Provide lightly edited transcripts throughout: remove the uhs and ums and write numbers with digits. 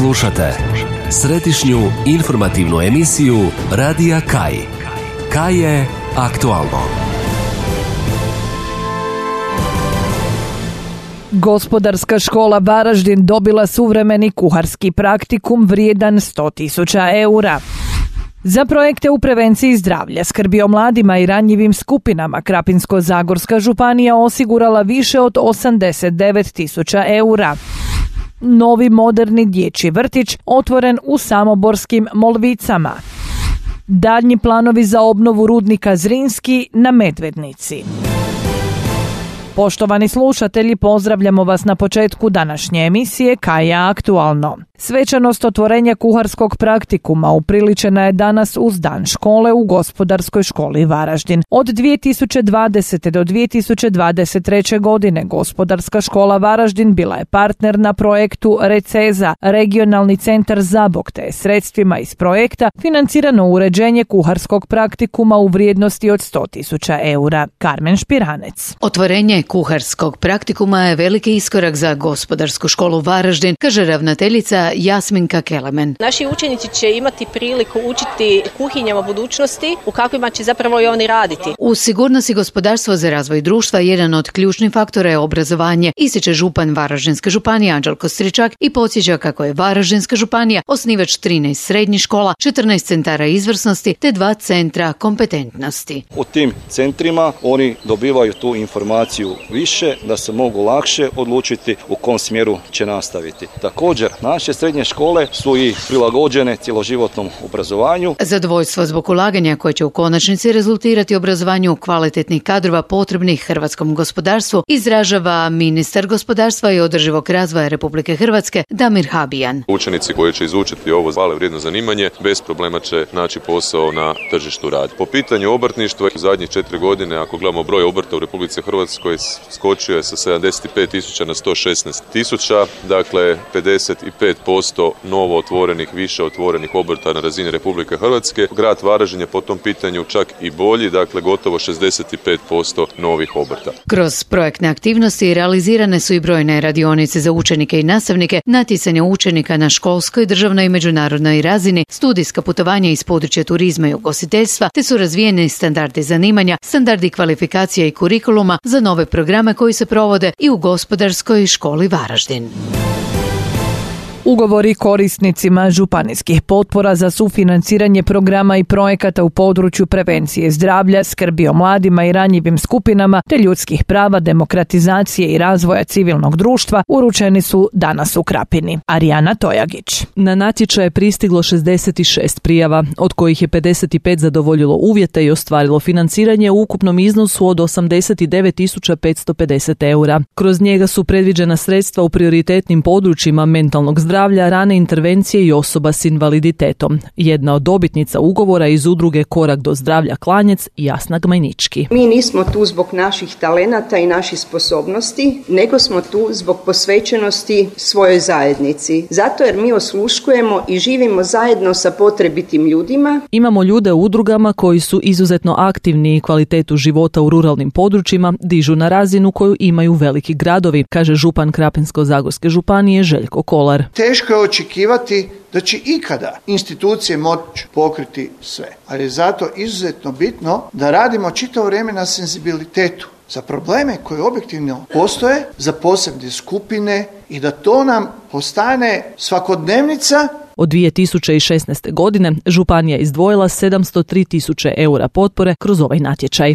Slušate središnju informativnu emisiju Radija Kaj. Kaj je aktualno. Gospodarska škola Varaždin dobila suvremeni kuharski praktikum vrijedan 100.000 eura. Za projekte u prevenciji zdravlja, skrbi o mladima i ranjivim skupinama Krapinsko-zagorska županija osigurala više od 89.000 eura. Novi moderni dječji vrtić otvoren u samoborskim Molvicama. Daljnji planovi za obnovu rudnika Zrinski na Medvednici. Poštovani slušatelji, pozdravljamo vas na početku današnje emisije Kaj je aktualno. Svečanost otvorenja kuharskog praktikuma upriličena je danas uz Dan škole u Gospodarskoj školi Varaždin. Od 2020. do 2023. godine Gospodarska škola Varaždin bila je partner na projektu Receza, regionalni centar Zabok, te sredstvima iz projekta financirano uređenje kuharskog praktikuma u vrijednosti od 100.000 eura. Karmen Špiranec. Otvorenje kuharskog praktikuma je veliki iskorak za Gospodarsku školu Varaždin, kaže ravnateljica Jasminka Kelemen. Naši učenici će imati priliku učiti kuhinjama budućnosti u kakvima će zapravo i oni raditi. U sigurnosti gospodarstva za razvoj društva jedan od ključnih faktora je obrazovanje, ističe župan Varaždinske županije Anđelko Stričak i podsjeća kako je Varaždinska županija osnivač 13 srednjih škola, 14 centara izvrsnosti te 2 centra kompetentnosti. U tim centrima oni dobivaju tu informaciju više da se mogu lakše odlučiti u kom smjeru će nastaviti. Također, naše srednje škole su i prilagođene cjeloživotnom obrazovanju. Zadovoljstvo zbog ulaganja koje će u konačnici rezultirati obrazovanju kvalitetnih kadrova potrebnih hrvatskom gospodarstvu izražava ministar gospodarstva i održivog razvoja Republike Hrvatske Damir Habijan. Učenici koji će izučiti ovo hvale vrijedno zanimanje bez problema će naći posao na tržištu rada. Po pitanju obrtništva, u zadnjih 4 godine, ako gledamo broj obrta u Republici Hrvatskoj, skočio je sa 75.000 na 116.000, dakle 55% novo otvorenih, više otvorenih obrta na razini Republike Hrvatske. Grad Varaždin je po tom pitanju čak i bolji, dakle gotovo 65% novih obrta. Kroz projektne aktivnosti realizirane su i brojne radionice za učenike i nastavnike, natjecanje učenika na školskoj, državnoj i međunarodnoj razini, studijska putovanja iz područja turizma i ugostiteljstva, te su razvijeni standardi zanimanja, standardi kvalifikacija i kurikuluma za nove programe koji se provode i u Gospodarskoj školi Varaždin. Ugovori korisnicima županijskih potpora za sufinanciranje programa i projekata u području prevencije zdravlja, skrbi o mladima i ranjivim skupinama te ljudskih prava, demokratizacije i razvoja civilnog društva uručeni su danas u Krapini. Arijana Tojagić. Na natječaj je pristiglo 66 prijava, od kojih je 55 zadovoljilo uvjete i ostvarilo financiranje u ukupnom iznosu od 89.550 eura. Kroz njega su predviđena sredstva u prioritetnim područjima mentalnog zdravlja, rane intervencije i osoba s invaliditetom. Jedna od dobitnica ugovora iz udruge Korak do zdravlja Klanjec, Jasna Gmajnički. Mi nismo tu zbog naših talenata i naših sposobnosti, nego smo tu zbog posvećenosti svojoj zajednici. Zato jer mi osluškujemo i živimo zajedno sa potrebitim ljudima. Imamo ljude u udrugama koji su izuzetno aktivni i kvalitetu života u ruralnim područjima dižu na razinu koju imaju veliki gradovi, kaže župan Krapinsko-zagorske županije Željko Kolar. Teško je očekivati da će ikada institucije moći pokriti sve, ali je zato izuzetno bitno da radimo čitavo vrijeme na senzibilitetu za probleme koje objektivno postoje, za posebne skupine i da to nam postane svakodnevnica. Od 2016. godine županija izdvojila 703.000 eura potpore kroz ovaj natječaj.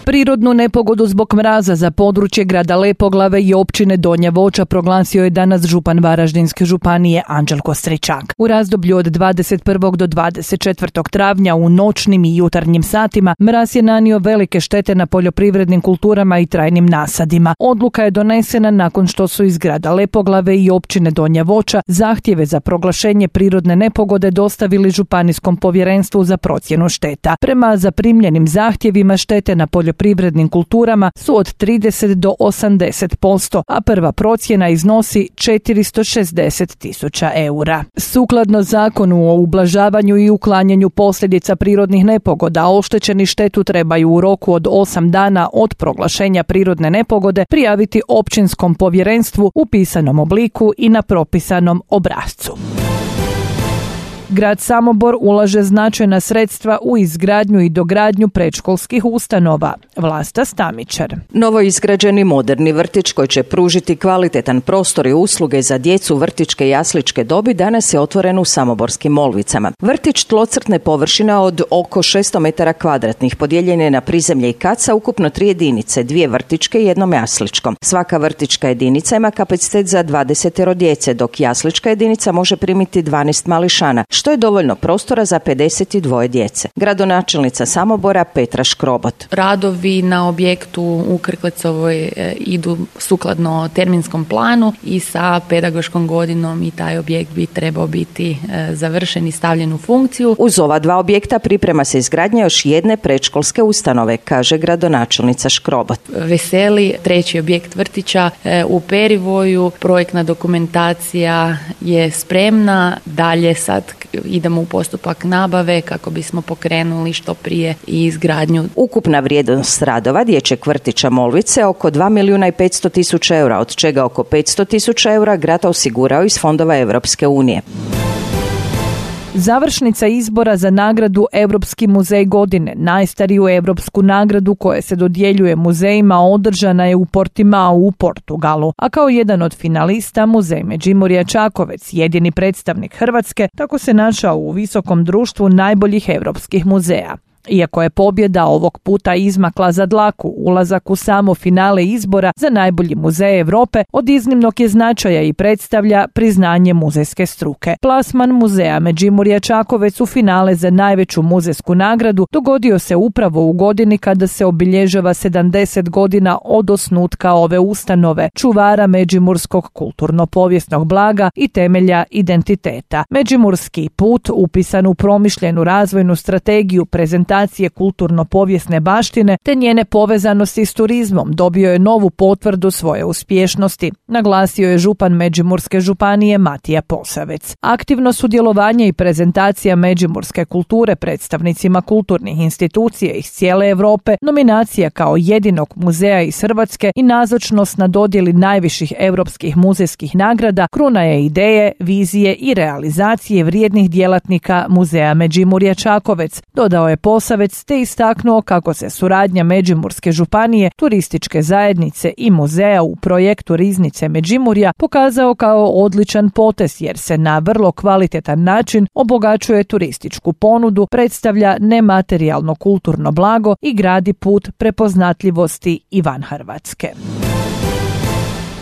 Prirodnu nepogodu zbog mraza za područje grada Lepoglave i općine Donja Voća proglasio je danas župan Varaždinske županije Anđelko Stričak. U razdoblju od 21. do 24. travnja u noćnim i jutarnjim satima mraz je nanio velike štete na poljoprivrednim kulturama i trajnim nasadima. Odluka je donesena nakon što su iz grada Lepoglave i općine Donja Voća zahtjeve za proglašenje prirodne nepogode dostavili Županijskom povjerenstvu za procjenu šteta. Prema zaprimljenim zahtjevima štete na poljoprivrednim poljoprivrednim kulturama su od 30 do 80%, a prva procjena iznosi 460.000 eura. Sukladno Zakonu o ublažavanju i uklanjanju posljedica prirodnih nepogoda, oštećeni štetu trebaju u roku od 8 dana od proglašenja prirodne nepogode prijaviti općinskom povjerenstvu u pisanom obliku i na propisanom obrascu. Grad Samobor ulaže značajna sredstva u izgradnju i dogradnju predškolskih ustanova. Vlasta Stamičar. Novo izgrađeni moderni vrtić koji će pružiti kvalitetan prostor i usluge za djecu vrtićke i jasličke dobi danas je otvoren u Samoborskim Molvicama. Vrtić tlocrtne površine od oko 600 metara kvadratnih podijeljen je na prizemlje i kat sa ukupno 3 jedinice, 2 vrtićke i 1 jasličko. Svaka vrtićka jedinica ima kapacitet za 20 djece, dok jaslička jedinica može primiti 12 mališana, što je dovoljno prostora za 52 djece. Gradonačelnica Samobora Petra Škrobot. Radovi na objektu u Krklecovoj idu sukladno terminskom planu i sa pedagoškom godinom i taj objekt bi trebao biti završen i stavljen u funkciju. Uz ova 2 objekta priprema se izgradnja još jedne predškolske ustanove, kaže gradonačelnica Škrobot. Veseli 3. objekt vrtića u Perivoju, projektna dokumentacija je spremna, dalje sad idemo u postupak nabave kako bismo pokrenuli što prije i izgradnju. Ukupna vrijednost radova dječjeg vrtića Molvice oko 2.500.000 eura, od čega oko 500.000 eura grad osigurao iz fondova Europske unije. Završnica izbora za nagradu Europski muzej godine, najstariju europsku nagradu koja se dodjeljuje muzejima, održana je u Portimao u Portugalu, a kao jedan od finalista Muzej Međimurja Čakovec, jedini predstavnik Hrvatske, tako se našao u visokom društvu najboljih europskih muzeja. Iako je pobjeda ovog puta izmakla za dlaku, ulazak u samo finale izbora za najbolji muzej Europe od iznimnog je značaja i predstavlja priznanje muzejske struke. Plasman Muzeja Međimurja Čakovec u finale za najveću muzejsku nagradu dogodio se upravo u godini kada se obilježava 70 godina od osnutka ove ustanove, čuvara međimurskog kulturno-povijesnog blaga i temelja identiteta. Međimurski put, upisan u promišljenu razvojnu strategiju prezentacije kulturno-povijesne baštine te njene povezanosti s turizmom, dobio je novu potvrdu svoje uspješnosti, naglasio je župan Međimurske županije Matija Posavec. Aktivno sudjelovanje i prezentacija međimurske kulture predstavnicima kulturnih institucija iz cijele Europe, nominacija kao jedinog muzeja iz Hrvatske i nazočnost na dodjeli najviših europskih muzejskih nagrada kruna je ideje, vizije i realizacije vrijednih djelatnika Muzeja Međimurja Čakovec, dodao je Posavec te istaknuo kako se suradnja Međimurske županije, turističke zajednice i muzeja u projektu Riznice Međimurja pokazao kao odličan potez jer se na vrlo kvalitetan način obogaćuje turističku ponudu, predstavlja nematerijalno kulturno blago i gradi put prepoznatljivosti i van Hrvatske.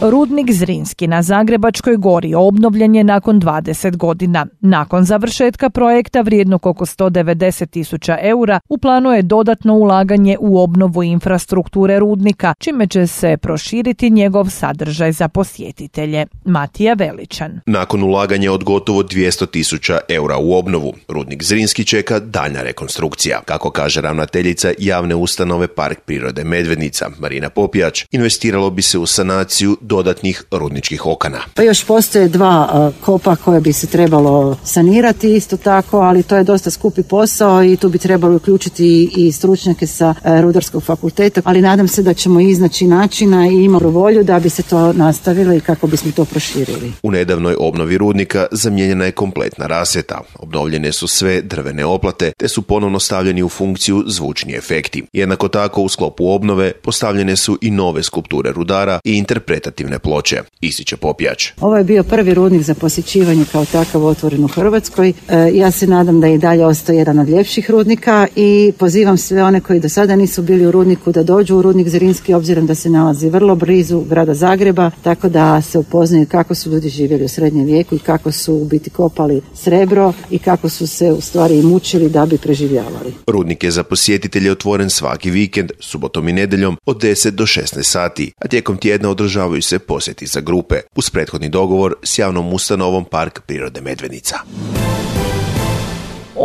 Rudnik Zrinski na Zagrebačkoj gori obnovljen je nakon 20 godina. Nakon završetka projekta vrijednog oko 190.000 eura, u planu je dodatno ulaganje u obnovu infrastrukture rudnika, čime će se proširiti njegov sadržaj za posjetitelje. Matija Veličan. Nakon ulaganja od gotovo 200.000 eura u obnovu, rudnik Zrinski čeka daljnja rekonstrukcija. Kako kaže ravnateljica javne ustanove Park prirode Medvednica, Marina Popijač, investiralo bi se u sanaciju dodatnih rudničkih okana. Pa još postoje 2 kopa koje bi se trebalo sanirati isto tako, ali to je dosta skupi posao i tu bi trebalo uključiti i stručnjake sa Rudarskog fakulteta, ali nadam se da ćemo iznaći načina i imamo volju da bi se to nastavilo i kako bismo to proširili. U nedavnoj obnovi rudnika zamijenjena je kompletna rasvjeta, obnovljene su sve drvene oplate te su ponovno stavljeni u funkciju zvučni efekti. Jednako tako u sklopu obnove postavljene su i nove skulpture rudara i interpretativne ploče, ističe Popijač. Ovo je bio prvi rudnik za posjećivanje kao takav otvoren u Hrvatskoj. Ja se nadam da je i dalje ostao jedan od ljepših rudnika i pozivam sve one koji do sada nisu bili u rudniku da dođu u rudnik Zrinski, obzirom da se nalazi vrlo blizu grada Zagreba, tako da se upoznaju kako su ljudi živjeli u srednjem vijeku i kako su u biti kopali srebro i kako su se u stvari mučili da bi preživljavali. Rudnik je za posjetitelje otvoren svaki vikend, subotom i nedjeljom od 10 do 16 sati, a tijekom tjedna održavaju se posjeti za grupe, uz prethodni dogovor s javnom ustanovom Park prirode Medvednica.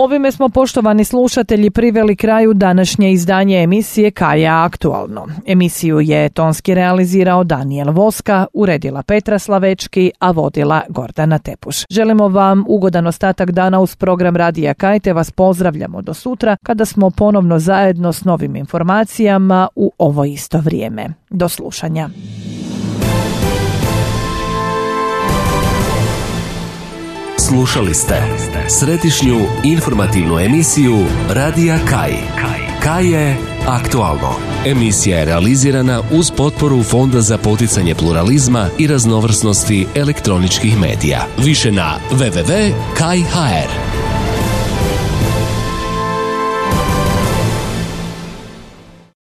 Ovime smo, poštovani slušatelji, priveli kraju današnje izdanje emisije Kaja aktualno. Emisiju je tonski realizirao Danijel Voska, uredila Petra Slavečki, a vodila Gordana Tepuš. Želimo vam ugodan ostatak dana uz program Radija Kaj, te vas pozdravljamo do sutra kada smo ponovno zajedno s novim informacijama u ovo isto vrijeme. Do slušanja. Slušali ste središnju informativnu emisiju Radija Kaj. Kaj je aktualno. Emisija je realizirana uz potporu Fonda za poticanje pluralizma i raznovrsnosti elektroničkih medija. Više na www.kaj.hr.